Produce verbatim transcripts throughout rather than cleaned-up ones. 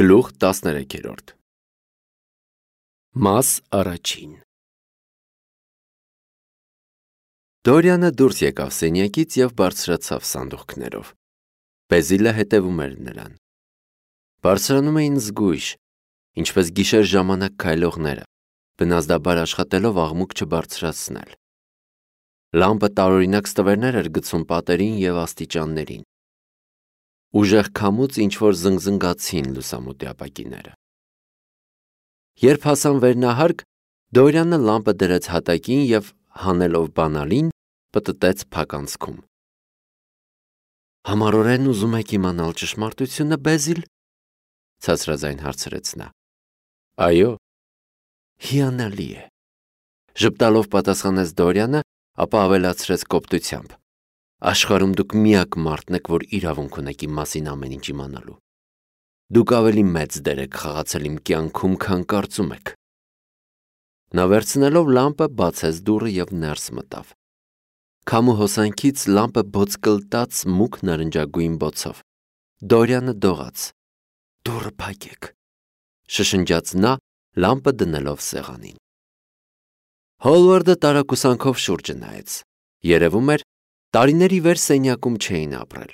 Գլուխ տասներեքերորդ Մաս առաջին Դորյանը դուրս եկավ սենյակից և բարձրացավ սանդուղքներով։ Բեզիլը հետևում էր նրան։ Բարձրանում էին զգույշ, ինչպես գիշեր ժամանակ քայլողները, բնազդաբար աշխատելով աղմուկ չբարձրացնել։ Լամպը տարօրինակ ստվերներ էր գցում պատերին և աստիճաններին։ Ուժեղ քամուց ինչ-որ զնգզնգացին լուսամուտի ապակիները։ Երբ հասան վերնահարկ, Դորյանը լամպը դրեց հատակին և, հանելով բանալին, պտտեց փականցքում։ «Համառորեն ուզում եք իմանալ ճշմարտությունը, Բեզիլ», ցածրաձայն հարցրեց նա։ «Այո»։ «Հիանալի է», ժպտալով պատասխանեց Դորյանը, ապա ավելացրեց կոպտությամբ. «Աշխարհում դուք միակ մարդն եք, որ իրավունք ունեք իմ մասին ամեն ինչ իմանալու։ Դուք ավելի մեծ դեր եք խաղացել իմ կյանքում, քան կարծում եք»։ Նա վերցնելով լամպը բացեց դուռը և ներս մտավ։ Քամու հոսանքից լամպը բոցկլտաց մուգ նարնջագույն բոցով։ Դորյանը դողաց. «Դուռը փակեք», շշնջաց նա, լամպը դնելով սեղանին։ Հոլվարդը տարակուսանքով շուրջը նայեց։ Երևում էր, տարիներ ի վեր սենյակում չէին ապրել։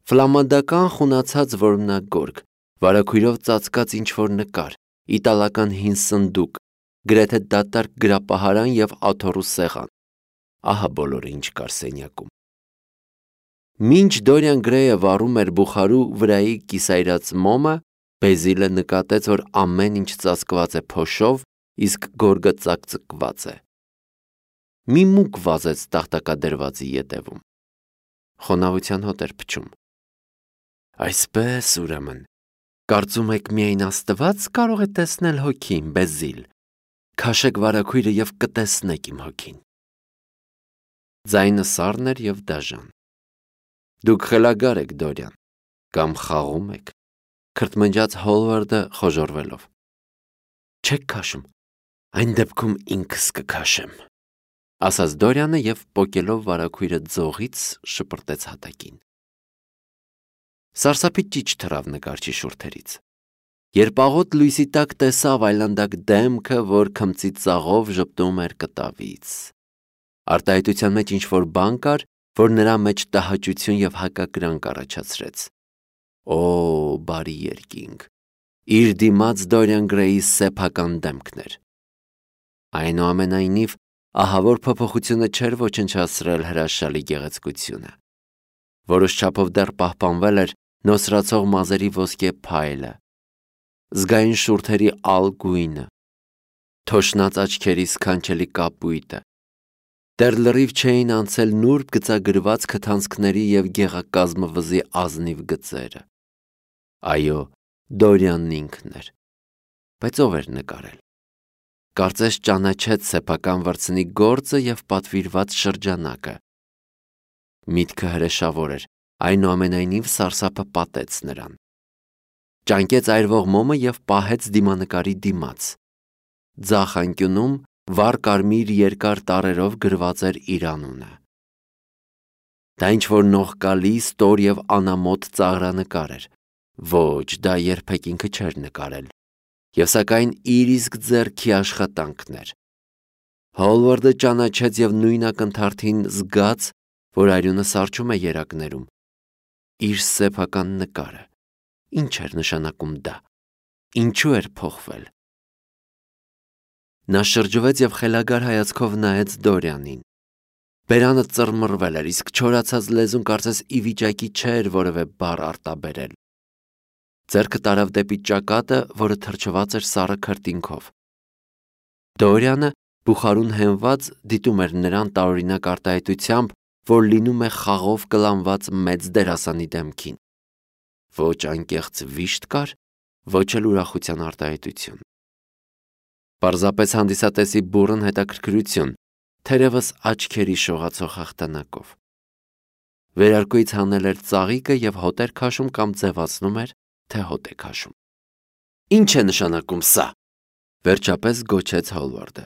Ֆլամանդական խունացած որմնագորգ, վարագույրով ծածկած ինչ-որ նկար, իտալական հին սնդուկ, գրեթե դատարկ գրապահարան և աթոռու սեղան։ Ահա բոլորը, ինչ կար սենյակում։ Մինչ Դորիան Գրեյը վառում էր բուխարու վրայի կիսայրած մոմը, Բեզիլը նկատեց, որ ամեն ինչ ծածկված է փոշով, իսկ գորգը ծակծկված է։ Մի մուկ վազեց տախտակադրվածի ետևում։ Խոնավության հոտ էր փչում։ «Այսպես, ուրեմն, կարծում եք միայն Աստված կարող է տեսնել հոգին, Բեզիլ։ Քաշեք վարագույրը և կտեսնեք իմ հոգին»։ Ձայնը սառն էր և դաժան։ «Դուք խելագար եք, Դորյան, կամ խաղում եք», քրթմնջաց Հոլվարդը խոժոռվելով։ «Չեք քաշում, այն դեպքում ինքս կքաշեմ», ասաց Դորյանը և պոկելով վարագույրը ձողից շպրտեց հատակին։ Սարսափի ճիչ թռավ նկարչի շուրթերից։ Երբ աղոտ լույսի տակ տեսավ այլանդակ դեմքը, որ քմծի ծաղով ժպտում էր կտավից։ Արտահայտության մեջ ինչ-որ բան կար, որ նրա մեջ տհաճություն և հակակրանք առաջացրեց։ Օ, բարի երկինք, իր դիմաց Դորիան Գրեյի սեփական դեմքն էր։ Այնուամենայնիվ, ահավոր փոփոխությունը չէր ոչնչացրել հրաշալի գեղեցկությունը։ Որոշ չափով դեռ պահպանվել էր նոսրացող մազերի ոսկե փայլը, զգայուն շուրթերի ալ գույնը, թոշնած աչքերի սքանչելի կապույտը։ Դեռ լրիվ չէին անցել նուրբ գծագրված քթանցքների և գեղակազմը վզի ազնիվ գծերը։ Այո, Դորյանն ինքն էր։ Բայց ով էր նկարել։ Կարծես ճանաչեց սեփական վրձնի գործը և պատվիրված շրջանակը։ Միտքը հրեշավոր էր, այնուամենայնիվ սարսափը պատեց նրան։ Ճանկեց այրվող մոմը և պահեց դիմանկարի դիմաց։ Ձախ անկյունում վառ կարմիր երկար տառերով գրված էր իր անունը։ Դա ինչ-որ նողկալի, ստոր և անամոթ ծաղրանկար էր։ Ոչ, դա երբեք ինքը չէր նկարել։ Եվ սակայն իր իսկ ձեռքի աշխատանքն էր։ Հոլվարդը ճանաչեց և նույն ակնթարթին զգաց, որ արյունը սառչում է երակներում։ Իր սեփական նկարը։ Ինչ էր նշանակում դա։ Ինչու էր փոխվել։ Նա շրջվեց և խելագար հայացքով նայեց Դորյանին։ Բերանը ծռմռվել էր, իսկ չորացած լեզուն կարծես ի վիճակի չէր որևէ բառ արտաբերել։ Ձեռքը տարավ դեպի ճակատը, որը թրջված էր սառը քրտինքով։ Դորյանը, բուխարուն հենված, դիտում էր նրան տարօրինակ արտահայտությամբ, որ լինում է խաղով կլանված մեծ դերասանի դեմքին։ Ոչ անկեղծ վիշտ կար, ոչ էլ ուրախության արտահայտություն։ Պարզապես հանդիսատեսի բուռն հետաքրքրություն, թերևս աչքերի շողացող հաղթանակով։ Վերարկուից հանել էր ծաղիկը և հոտ էր քաշում կամ ձևացնում էր, թե հոտ է քաշում։ «Ինչ է նշանակում սա», վերջապես գոչեց Հոլվարդը։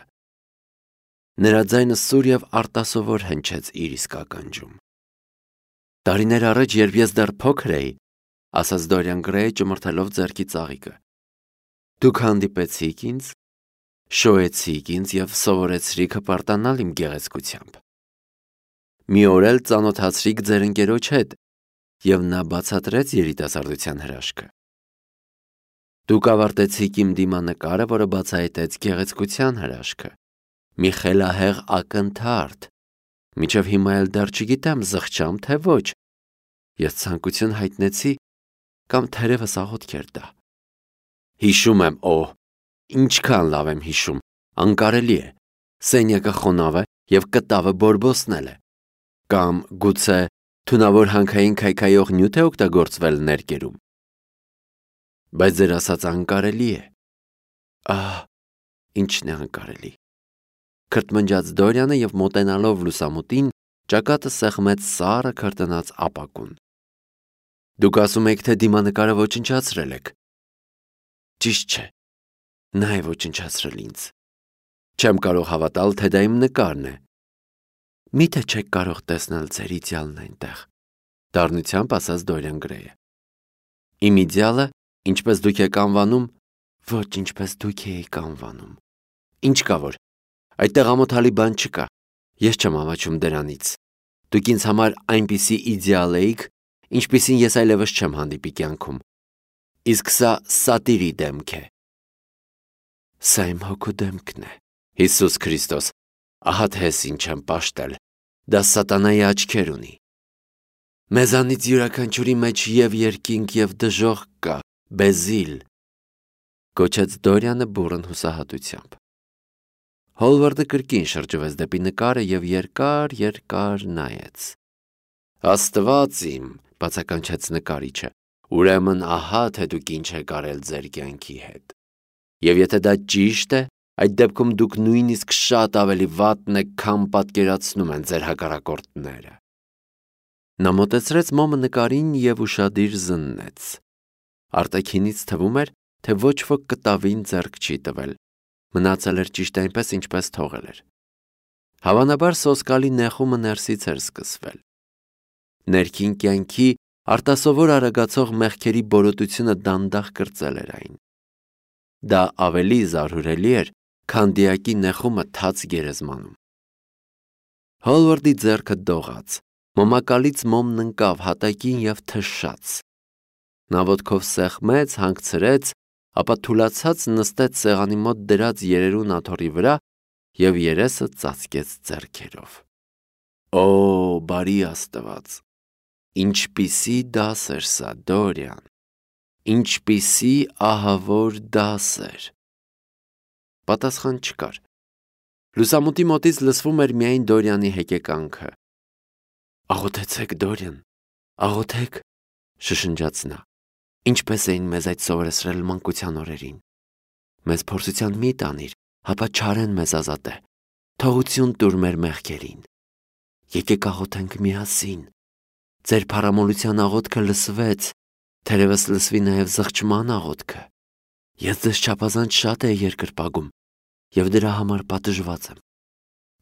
Նրա ձայնը սուր և արտասովոր հնչեց իր իսկ ականջում։ «Տարիներ առաջ, երբ ես դեռ փոքր էի, ասաց Դորիան Գրեյը ճմրթելով ձեռքի ծաղիկը։ Դուք հանդիպեցիք ինձ, շոյեցիք ինձ եւ սովորեցրիք հպարտանալ իմ գեղեցկությամբ։ Մի օր էլ ծանոթացրիք ձեր ընկերոջ հետ, եւ նա բացատրեց երիտասարդության հրաշքը։ Դուք ավարտեցիք իմ դիմանկարը, որը բացահայտեց գեղեցկության հրաշքը։ Մի խելահեղ ակնթարթ, մինչև հիմա էլ դեռ չգիտեմ զղջամ, թե ոչ։ Ես ցանկություն հայտնեցի կամ թերևս աղոթք էր դա։ Հիշում եմ, օ, ինչքան լավ եմ հիշում, անկարելի է։ Սենյակը խոնավ է եւ կտավը բորբոսնել է։ Կամ գուցե թունավոր հանքային քայքայող նյութ է օգտագործվել ներկերում։ Բայց ձեր ասած անկարելի է։ Ահ, ինչն է անկարելի։ Քրթմնջաց Դորյանը եւ մոտենալով լուսամուտին ճակատը սեղմեց սառը քրտնած ապակուն։ Դուք ասում եք, թե դիմանկարը ոչնչացրել եք։ Ճիշտ չէ։ Նա է ոչնչացրել ինձ։ Չեմ կարող հավատալ, թե դա իմ նկարն է։ Միթե չեք կարող տեսնել ձեր իդեալն այնտեղ, դառնությամբ ասաց Դորիան Գրեյը։ Իմ իդեալը, ինչպես դուք եք անվանում, ոչ ինչպես դուք եք անվանում։ Ինչ կա որ, այդտեղ ամոթալի բան չկա։ Ես չեմ ամաչում դրանից։ Դուք ինձ համար այնպիսի իդեալ էիք, ինչպիսին ես այլևս չեմ հանդիպի կյանքում։ Իսկ սա սատիրի դեմք է։ Սա իմ հոգու դեմքն է։ Հիսուս Քրիստոս, ահա թե ես ինչ եմ պաշտել, դա սատանայի աչքեր ունի։ Մեզանից յուրաքանչյուրի մեջ եւ երկինք եւ դժոխք կա, Բեզիլ, կոչեց Դորյանը բուռն հուսահատությամբ։ Հոլվարդը կրկին շրջվեց դեպի նկարը եւ երկար երկար նայեց։ Աստված իմ, բացականչեց նկարիչը, ուրեմն ահա թե դուք ինչ եք արել ձեր կյանքի հետ։ Եվ եթե դա ճիշտ է, այդ դեպքում դուք նույնիսկ շատ ավելի վատն եք, քան պատկերացնում են ձեր հակառակորդները։ Նա մոտեցրեց մոմը նկարին եւ ուշադիր զննեց։ Արտաքինից թվում էր, թե ոչ ոք կտավին ձեռք չի տվել։ Մնացել էր ճիշտ այնպես, ինչպես թողել էր։ Հավանաբար սոսկալի նեղումը ներսից էր սկսվել։ Ներքին կյանքի արտասովոր արագացող մեղքերի բորոտությունը դանդաղ կրծել էր այն։ Դա ավելի զարհուրելի էր, քան դիակի նեղումը թաց գերեզմանում։ Հոլվարդի ձեռքը դողաց, մոմակալից մոմն ընկավ հատակին եւ թշաց։ Նա ոտքով սեղմեց, հանգցրեց, ապա թուլացած նստեց սեղանի մոտ դրած երերուն աթոռի վրա եւ երեսը ծածկեց ձեռքերով։ Օ, բարի Աստված, ինչպիսի դաս էր սա, Դորիան, ինչպիսի ահավոր դաս էր։ Պատասխան չկար։ Լուսամուտի մոտից լսվում էր միայն Դորյանի հեկեկանքը։ Աղոթեցեք, Դորյան, աղոթեք, շշնջաց նա։ Ինչպես էին մեզ այդ սովորեցրել մանկության օրերին։ Մեզ փորձության մի տանիր, հապա չարեն մեզ ազատե։ Թողություն տուր մեր մեղքերին։ Եկեք աղոթենք միասին։ Ձեր փառամոլության աղոթքը լսվեց, թերևս լսվի նաև զղջման աղոթքը։ Ես ձեզ չափազանց շատ էի երկրպագում եւ դրա համար պատժված եմ։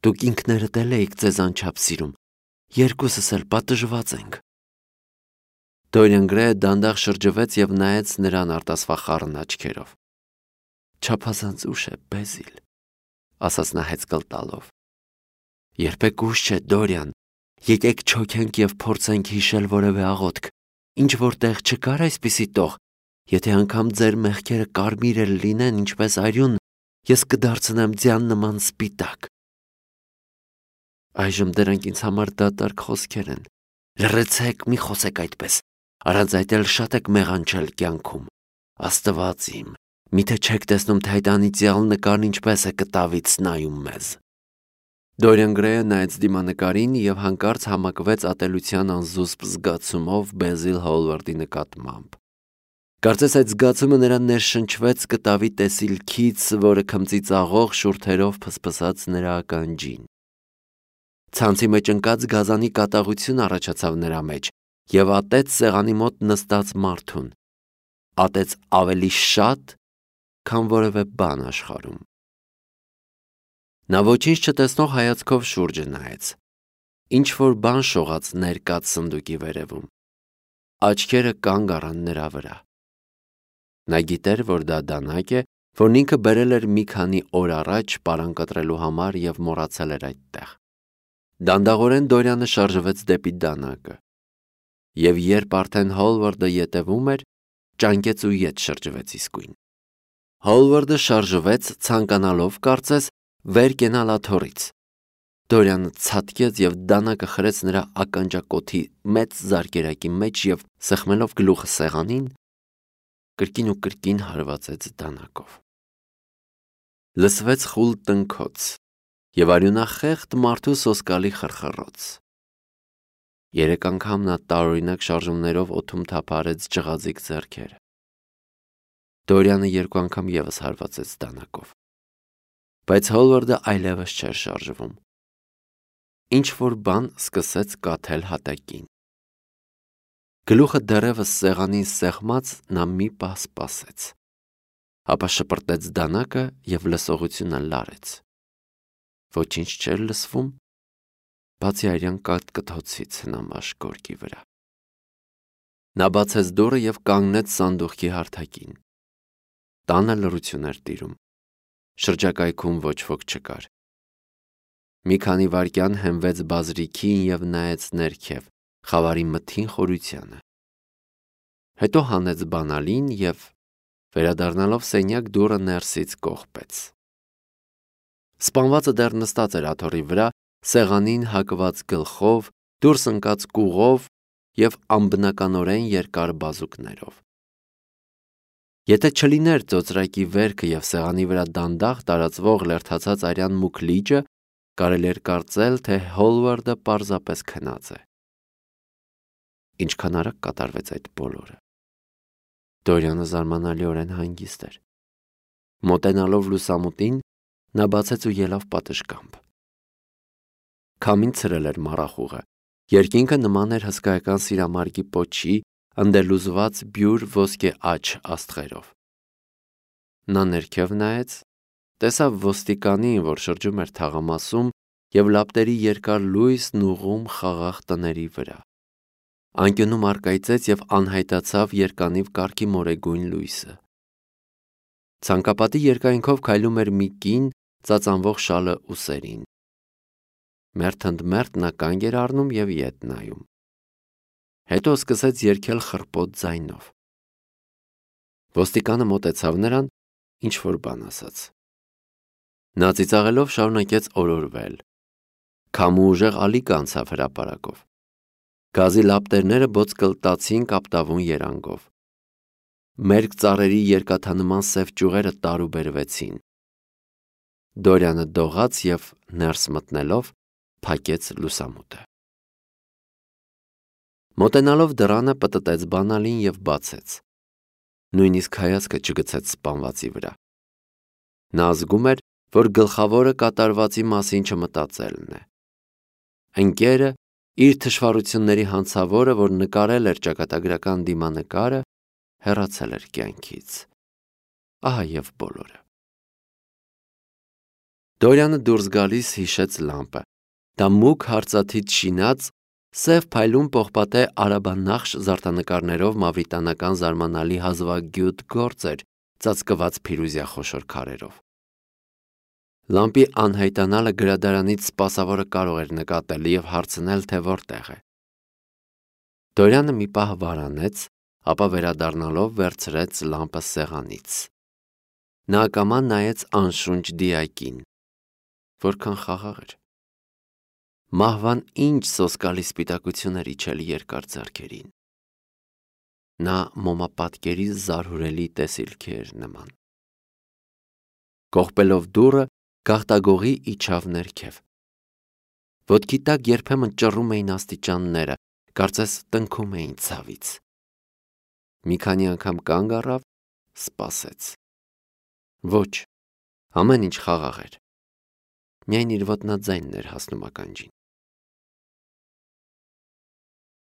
Դուք ինքներդ էլ եք ձեզ անչափ սիրում։ Երկուսս էլ պատժված ենք։ Դորիան Գրեյը դանդաղ շրջվեց եւ նայեց նրան արտասվախառն աչքերով։ Չափազանց ուշ է, Բեզիլ, ասաց նա հեծկլ տալով։ Երբեք ուշ չէ, Դորյան, եկեք չոքենք եւ փորձենք հիշել որևէ աղոթք, ինչ որտեղ չկար այսպիսի տող, եթե անգամ ձեր մեղքերը կարմիր էլ լինեն, ինչպես արյուն, ես կդարձնեմ ձյան նման սպիտակ։ Այժմ դրանք ինձ համար դատարկ խոսքեր են։ Լռեցեք, մի խոսեք այդպես, առանց այդ էլ շատ եք մեղանչել կյանքում։ Աստված իմ, միթե չեք տեսնում, թե այդ անիծյալ նկարն ինչպես է կտավից նայում մեզ։ Դորիան Գրեյը նայեց դիմանկարին եւ հանկարծ համակվեց ատելության անզուսպ զգացումով Բեզիլ Հոլվարդի նկատմամբ։ Կարծես այդ զգացումը նրան ներշնչվեց կտավի տեսիլքից, որը քմծիծաղող շուրթերով փսփսած նրա ականջին։ Ցանցի մեջ ընկած գազանի կատաղություն առաջացավ նրա մեջ եւ ատեց սեղանի մոտ նստած մարդուն։ Ատեց ավելի շատ, քան որևէ բան աշխարհում։ Նա ոչինչ չտեսնող հայացքով շուրջը նայեց։ Ինչ որ բան շողաց ներկած սնդուկի վերևում։ աչքերը կանգ առան նրա վրա։ Նա գիտեր, որ դա դանակ է, որն ինքը բերել էր մի քանի օր առաջ պարան կտրելու համար և մոռացել էր այդտեղ։ Դանդաղորեն Դորյանը շարժվեց դեպի դանակը, և երբ արդեն Հոլվարդը ետևում էր, ճանկեց ու ետ շրջվեց իսկույն։ Հոլվարդը շարժվեց, ցանկանալով, կարծես, վեր կենալ աթոռից։ Դորյանը ցատկեց և դանակը խրեց նրա ականջակոթի մեծ զարկերակի մեջ և, սեղմելով գլուխը սեղանին, կրկին ու կրկին հարվածեց դանակով։ Լսվեց խուլ տնքոց և արյունախեղդ մարդու սոսկալի խռխռոց։ Երեք անգամ նա տարօրինակ շարժումներով օդում թափահարեց ջղաձիգ ձեռքերը։ Դորյանը երկու անգամ ևս հարվածեց դանակով, բայց Հոլվարդը այլևս չէր շարժվում։ Ինչ-որ բան սկսեց կաթել հատակին։ Գլուխը դեռևս սեղանին սեղմած, նա մի պահ սպասեց, ապա շպրտեց դանակը և լսողությունը լարեց։ Ոչինչ չէր լսվում, բացի արյան կաթկթոցից հնամաշ գորգի վրա։ Նա բացեց դուռը և կանգնեց սանդուղքի հարթակին։ Տանը լռություն էր տիրում։ Շրջակայքում ոչ ոք չկար։ Մի քանի վայրկյան հենվեց բազրիքին և նայեց ներքև, խավարի մթին խորությանը։ Հետո հանեց բանալին և, վերադառնալով սենյակ, դուռը ներսից կողպեց։ Սպանվածը դեռ նստած էր աթոռի վրա, սեղանին հակված գլխով, դուրս ընկած կուղով և անբնականորեն երկար բազուկներով։ Եթե չլիներ ծոծրակի վերքը և սեղանի վրա դանդաղ տարածվող լերդացած արյան մուգ լիճը, կարելի էր կարծել, թե Հոլվարդը պարզապես քնած է։ Ինչքան արագ կատարվեց այդ բոլորը։ Դորյանը զարմանալիորեն հանգիստ էր։ Մոտենալով լուսամուտին, նա բացեց ու ելավ պատշգամբ։ Քամին ցրել էր մառախուղը, երկինքը նման էր հսկայական սիրամարգի պոչի, ընդելուզված բյուր ոսկե աջ աստղերով։ Նա ներքև նայեց, տեսավ ոստիկանին, որ շրջում էր թաղամասում և լապտերի երկար լույսն ուղղում խաղաղ տների վրա։ Անկյունում առկայծեց և անհայտացավ երկանիվ կարգի մորեգույն լույսը։ Ցանկապատի երկայնքով քայլում էր մի կին, ծածանվող շալը ուսերին։ Մերթ ընդ մերթ նա կանգ էր առնում և ետ նայում։ Հետո սկսեց երգել խռպոտ ձայնով։ Ոստիկանը մոտեցավ նրան, ինչ-որ բան ասաց։ Նա ծիծաղելով շարունակեց օրորվել։ Քամու ուժեղ ալիք անցավ հրապարակով։ Գազի լապտերները բոծկլտացին կապտավուն երանգով։ Մերկ ծառերի երկաթանման սև ճյուղերը տարուբերվեցին։ Դորյանը դողաց և, ներս մտնելով, փակեց լուսամուտը։ Մոտենալով դռանը պտտեց բանալին և բացեց։ Նույնիսկ հայացքը չգցեց սպանվածի վրա։ Նա զգում էր, որ գլխավորը կատարվածի մասին չմտածելն է։ Ընկերը, իր թշվառությունների հանցավորը, որ նկարել էր ճակատագրական դիմանկարը, հեռացել էր կյանքից։ Ահա և բոլորը։ Դորյանը դուրս գալիս հիշեց լամպը։ Դա մուգ հարծաթիթ շինած, սև փայլուն պողպատե արաբանախշ զարդանկարներով մավրիտանական զարմանալի հազվագյուտ գործ էր, ծածկված փիրուզյա խոշոր քարերով։ Լամպի անհայտանալը գրադարանից սպասավորը կարող էր նկատել և հարցնել, թե որտեղ է։ Դորյանը մի պահ վարանեց, ապա վերադառնալով վերցրեց լամպը սեղանից։ Նա ակամա նայեց անշունչ դիակին։ Որքան խաղաղ էր։ Մահվան ինչ սոսկալի սպիտակություն էր իջել երկար ձեռքերին։ Նա մոմապատկերի զարհուրելի տեսիլքի էր նման։ Կողպելով դուռը, գաղտագողի իջավ ներքև։ Ոտքի տակ երբեմն ճռռում էին աստիճանները, կարծես տնքում էին ցավից։ Մի քանի անգամ կանգ առավ, սպասեց։ Ոչ, ամեն ինչ խաղաղ էր։ Միայն իր ոտնաձայնն էր հասնում ականջին։